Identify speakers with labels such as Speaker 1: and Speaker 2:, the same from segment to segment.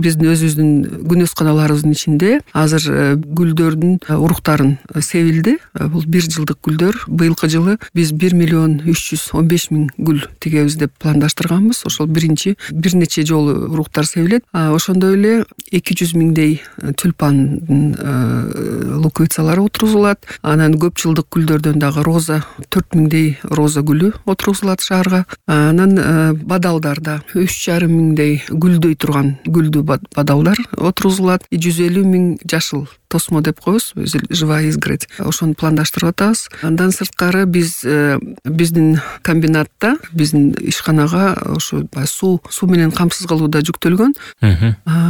Speaker 1: биздин өзүбүздүн күнөсканаларыбыздын ичинде азыр гүлдөрдүн уруктарын себилди. Бул 1 жылдык гүлдөр. Быйылкы жылы биз 1,315,000 гүл тигебиз деп пландаштырганбыз. Ошол бир нече жолу уруктар себилет. Ошондой эле 200 миңдей тюльпандын луковицалары отургузулат. Анан көп жылдык гүлдөрдөн дагы роза 4 миңдей роза гүлү отургузулат шаарга. Анан бадалдарда 3,5 миңдей гүлдөй турган гүлдүү бадалдар отургузулат. 150 миң жашыл тосмо деп коебуз, живая изгородь. Ошону пландаштырып атабыз. Андан сырткары биздин комбинатта, биздин ишканага ошо суу менен камсыз кылууда жүктөлгөн.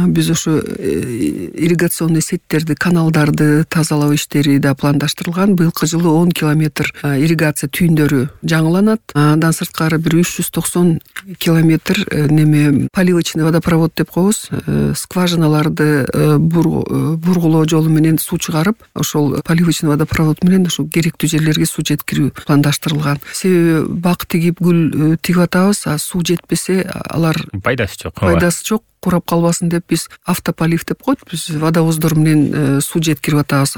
Speaker 1: Биз ошо ирригационный сеттерди, каналдарды тазалоо иштери да пландаштырылган. Быйылкы жылы 10 километр ирригация түйүндөрү жаңыланат. Андан сырткары бир 390 километр поливочный водопровод деп коебуз. Скважиналарды бургулоо жолу менен суу чыгарып, ошол поливочный водопровод менен ошол керектүү жерлерге суу жеткирүү пландаштырылган. Себеби бак тигип гүл тигип атабыз, суу жетпесе алар пайдасы жок. Курап калбасын деп биз автополив деп коет. Биз водовоздор менен суу жеткирип атабыз.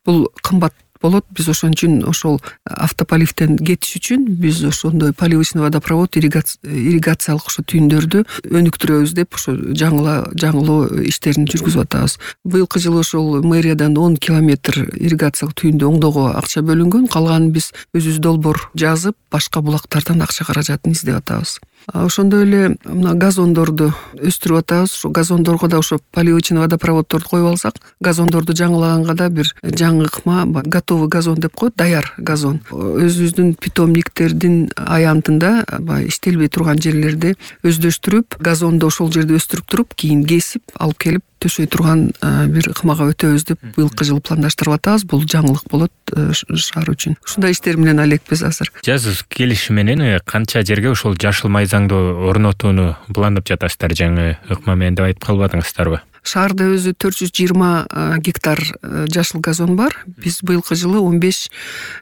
Speaker 1: Бул кымбат болот. Биз ошон үчүн ошол автополивден кетиш үчүн биз ошондой поливочный водопровод ирригациялык ошо түйүндөрдү өнүктүрөбүз деп ошо жаңылоо иштерин жүргүзүп атабыз. Быйылкы жылы ошол мэриядан 10 километр ирригациялык түйүндү оңдоого акча бөлүнгөн. Калганын биз өзүбүз долбоор жазып, башка булактардан акча каражатын издеп атабыз. Ошондой эле мына газондорду өстүрүп атабыз. Ошо газондорго да ошо поливочный водопроводдорду коюп алсак, газондорду жаңылаганга да бир жаңы ыкма, готовый газон деп коет, даяр газон. Өзүбүздүн питомниктердин аянтында иштелбей турган жерлерди өздөштүрүп, газонду ошол жерде өстүрүп туруп, кийин кесип алып келип төшөй турган бир ыкмага өтөбүз деп быйылкы жылы пландаштырып атабыз. Бул жаңылык болот шаар үчүн. Ушундай иштер менен алекпиз азыр.
Speaker 2: Жаз келиши менен канча жерге ошол жашыл майзаңды орнотууну пландап жатасыздар жаңы ыкма менен деп айтып калбадыңыздарбы? Шаарда
Speaker 1: өзү 420 гектар жашыл газон бар. Биз быйылкы жылы 15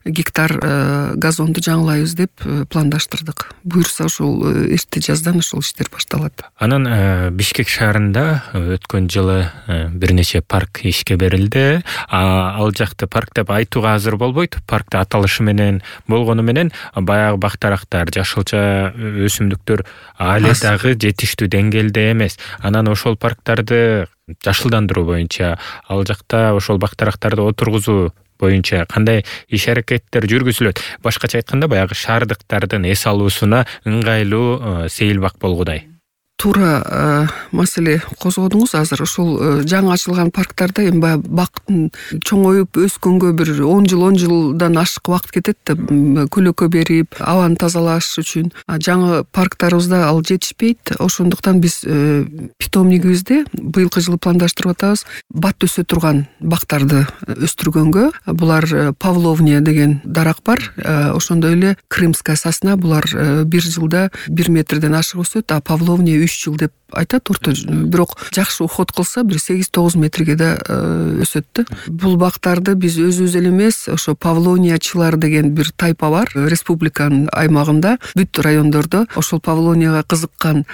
Speaker 1: гектар газонду жаңылайбыз деп пландаштырдык. Буюрса ошол эрте жаздан ошол иштер башталат.
Speaker 2: Анан Бишкек шаарында өткөн жылы бир нече парк ишке берилди. Ал жакты парк деп айтууга азыр болбойт. Паркта аталышы менен болгону менен баягы бактарактар, жашылча өсүмдүктөр али дагы жетиштүү деңгээлде эмес. Анан ошол парктарды жашылдандыруу боюнча, ал жакта ошол бактарактарды отургузуу боюнча кандай иш-аракеттер жүргүзүлөт? Башкача айтканда, баягы шаардыктардын эс алуусуна ыңгайлуу сейил бак болгудай.
Speaker 1: Туура маселе козгодуңуз. Азыр ошол жаңы ачылган парктарда эми баягы бактын чоңоюп өскөнгө бир 10 жылдан ашык убакыт кетет да, көлөкө берип, абаны тазалаш үчүн. Жаңы парктарыбызда ал жетишпейт. Ошондуктан биз питомнигибизде быйылкы жылы пландаштырып атабыз. Бат өсө турган бактарды өстүргөнгө. Булар Павловния деген дарак бар. Ошондой эле Крымская сосна, булар бир жылда 1 метрден ашык өсөт, а Павловния 3 жыл деп айтат орто. Бирок жакшы уход кылса бир 8-9 метрге да өсөт да. Бул бактарды биз өзүбүз эле эмес, ошо Павловниячылар деген бир тайпа бар республиканын аймагында, бүт райондордо. Ошол Павловнияга кызыккан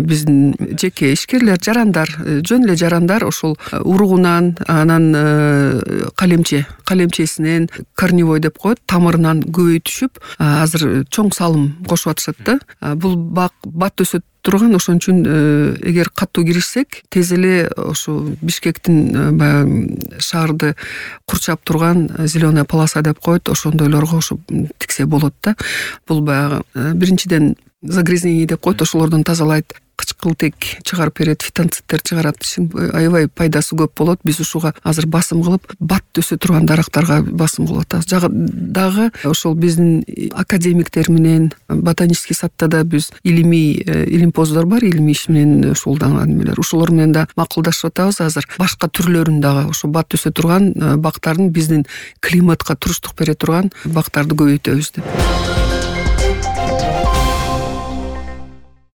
Speaker 1: биздин жеке ишкерлер, жарандар, жөн эле жарандар ошол уругунан, анан калемчесинен, корневой деп коет, тамырынан көбөйтүшүп, азыр чоң салым кошуп атышат да. Бул бат өсөт турган. Ошон үчүн эгер катуу киришсек, тез эле ошо Бишкектин шаарды курчап турган зеленая полоса деп коет, ошондойлорго ошо тиксе болот да. Бул баягы биринчиден загрязнение деп коет, ошолордон тазалайт. Кычкылтек чыгарып берет, фитонцидтер чыгарат. Аябай пайдасы көп болот. Биз ушуга азыр басым кылып, бат өсө турган дарактарга басым кылып атабыз. Дагы ошол биздин академиктер менен ботанический садта да биз илимпоздор бар, илимий иш менен шуулданган эмелер. Ошолор менен да макулдашып атабыз. Азыр башка түрлөрүн дагы ошо бат өсө турган бактардын, биздин климатка туруштук бере турган бактарды көбөйтөбүз деп.